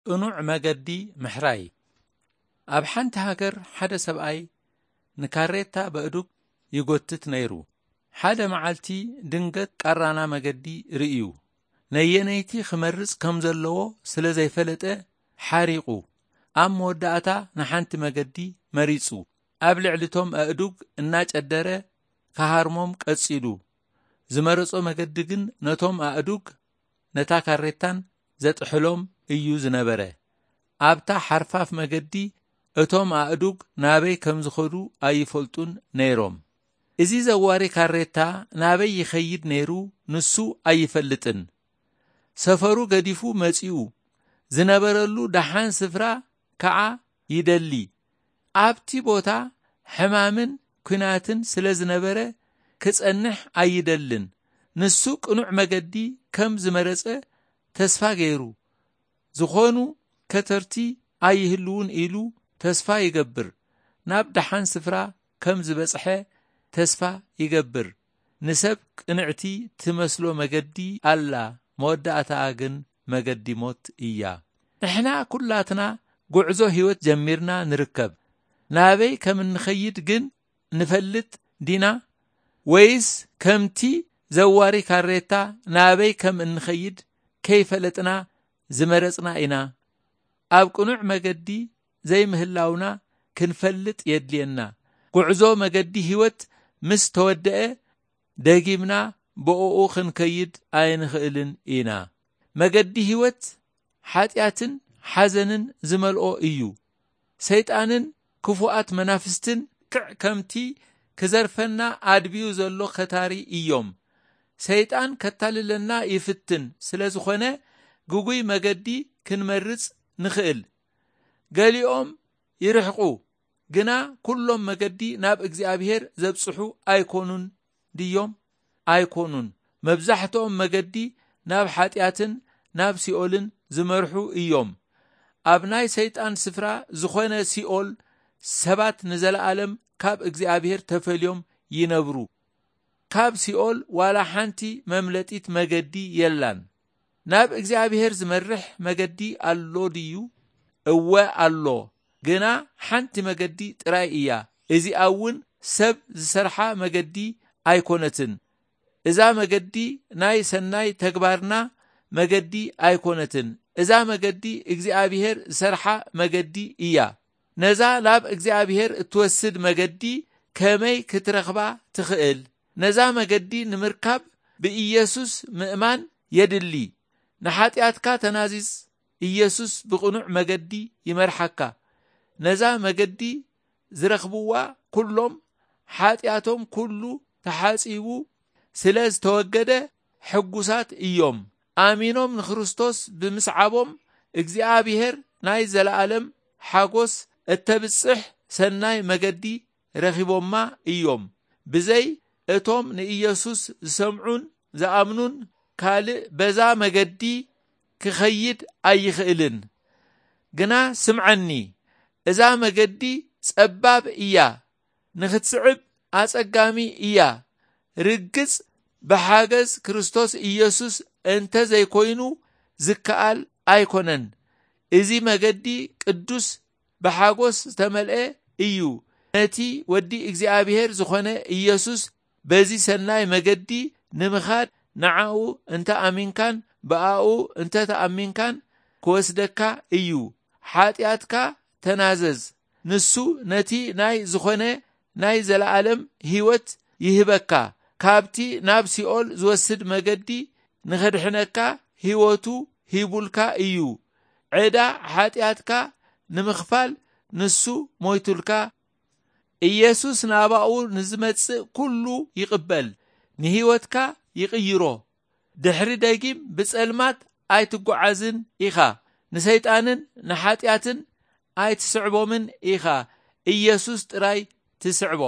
ቅኑዕ መገዲ ምሕራይ። ኣብ ሓንቲ ሃገር ሓደ ሰብኣይ ንካሬታ በእዱግ ይጎትት ነይሩ። ሓደ መዓልቲ ድንገት ቃራና መገዲ ርእዩ። ነየነይቲ ክመርጽ ከም ዘለዎ ስለ ዘይፈለጠ ሓሪቑ። ኣብ መወዳእታ ንሓንቲ መገዲ መሪጹ። ኣብ ልዕሊ እቶም ኣእዱግ እናጨደረ ክሃርሞም ቀጺሉ። ዝመረጾ መገዲ ግን ነቶም ኣእዱግ ነታ ካሬታን ዘጥሕሎም እዩ ዝነበረ። ኣብታ ሓርፋፍ መገዲ እቶም ኣእዱግ ናበይ ከም ዝኸዱ ኣይፈልጡን ነይሮም። እዚ ዘዋሪ ካሬታ ናበይ ይኸይድ ነይሩ ንሱ ኣይፈልጥን። ሰፈሩ ገዲፉ መጺኡ ዝነበረሉ ደሓን ስፍራ ከኣ ይደሊ። ኣብቲ ቦታ ሕማምን ኲናትን ስለ ዝነበረ ክጸንሕ ኣይደልን። ንሱ ቅኑዕ መገዲ ከም ዝመረጸ ተስፋ ገይሩ፣ ዝኾኑ ከተርቲ ኣይህልውን ኢሉ ተስፋ ይገብር። ናብ ደሓን ስፍራ ከም ዝበጽሐ ተስፋ ይገብር። ንሰብ ቅንዕቲ ትመስሎ መገዲ ኣላ፣ መወዳእታኣ ግን መገዲ ሞት እያ። ንሕና ኩላትና ጉዕዞ ህይወት ጀሚርና ንርከብ። ናበይ ከም እንኸይድ ግን ንፈልጥ ዲና? ወይስ ከምቲ ዘዋሪ ካሬታ ናበይ ከም እንኸይድ ከይፈለጥና ዝመረጽና ኢና? ኣብ ቅኑዕ መገዲ ዘይምህላውና ክንፈልጥ የድልየና። ጉዕዞ መገዲ ህይወት ምስ ተወደአ፣ ደጊምና ብእኡ ክንከይድ ኣይንኽእልን ኢና። መገዲ ህይወት ሓጢኣትን ሓዘንን ዝመልኦ እዩ። ሰይጣንን ክፉኣት መናፍስትን ክዕ ከምቲ ክዘርፈና ኣድብዩ ዘሎ ከታሪ እዮም። ሰይጣን ከታልለና ይፍትን ስለ ዝኾነ፣ ግጉይ መገዲ ክንመርጽ ንኽእል። ገሊኦም ይርሕቁ፣ ግና ኩሎም መገዲ ናብ እግዚኣብሔር ዘብጽሑ ኣይኮኑን ድዮም? ኣይኮኑን። መብዛሕትኦም መገዲ ናብ ሓጢኣትን ናብ ሲኦልን ዝመርሑ እዮም። ኣብ ናይ ሰይጣን ስፍራ ዝኾነ ሲኦል፣ ሰባት ንዘለኣለም ካብ እግዚኣብሔር ተፈልዮም ይነብሩ። ካብ ሲኦል ዋላ ሓንቲ መምለጢት መገዲ የላን። ናብ እግዚኣብሔር ዝመርሕ መገዲ ኣሎ ድዩ? እወ ኣሎ፣ ግና ሓንቲ መገዲ ጥራይ እያ። እዚኣ እውን ሰብ ዝሰርሓ መገዲ ኣይኮነትን። እዛ መገዲ ናይ ሰናይ ተግባርና መገዲ ኣይኮነትን። እዛ መገዲ እግዚኣብሔር ዝሰርሓ መገዲ እያ። ነዛ ናብ እግዚኣብሔር እትወስድ መገዲ ከመይ ክትረኽባ ትኽእል? ነዛ መገዲ ንምርካብ ብኢየሱስ ምእማን የድሊ። ንሓጢኣትካ ተናዝዝ፣ ኢየሱስ ብቕኑዕ መገዲ ይመርሓካ። ነዛ መገዲ ዝረኽብዋ ኩሎም ሓጢኣቶም ኩሉ ተሓጺቡ ስለ ዝተወገደ ሕጉሳት እዮም። ኣሚኖም ንክርስቶስ ብምስዓቦም እግዚኣብሔር ናይ ዘለኣለም ሓጎስ እተብጽሕ ሰናይ መገዲ ረኺቦማ እዮም። ብዘይ እቶም ንኢየሱስ ዝሰምዑን ዝኣምኑን ካልእ በዛ መገዲ ክኸይድ ኣይኽእልን። ግና ስምዓኒ፣ እዛ መገዲ ጸባብ እያ፣ ንኽትስዕብ ኣጸጋሚ እያ። ርግጽ ብሓገዝ ክርስቶስ ኢየሱስ እንተ ዘይኮይኑ ዝከኣል ኣይኮነን። እዚ መገዲ ቅዱስ ብሓጎስ ዝተመልአ እዩ። ነቲ ወዲ እግዚኣብሔር ዝኾነ ኢየሱስ በዚ ሰናይ መገዲ ንምኻድ ንዓኡ እንተ ኣሚንካን ብኣኡ እንተ ተኣሚንካን ክወስደካ እዩ። ሓጢኣትካ ተናዘዝ። ንሱ ነቲ ናይ ዝኾነ ናይ ዘለኣለም ህይወት ይህበካ። ካብቲ ናብ ሲኦል ዝወስድ መገዲ ንኸድሕነካ ህይወቱ ሂቡልካ እዩ። ዕዳ ሓጢኣትካ ንምኽፋል ንሱ ሞይቱልካ። ኢየሱስ ናባኡ ንዝመጽእ ኩሉ ይቕበል፣ ንህይወትካ ይቕይሮ። ድሕሪ ደጊም ብጸልማት ኣይትጓዓዝን ኢኻ። ንሰይጣንን ንሓጢኣትን ኣይትስዕቦምን ኢኻ። ኢየሱስ ጥራይ ትስዕቦ።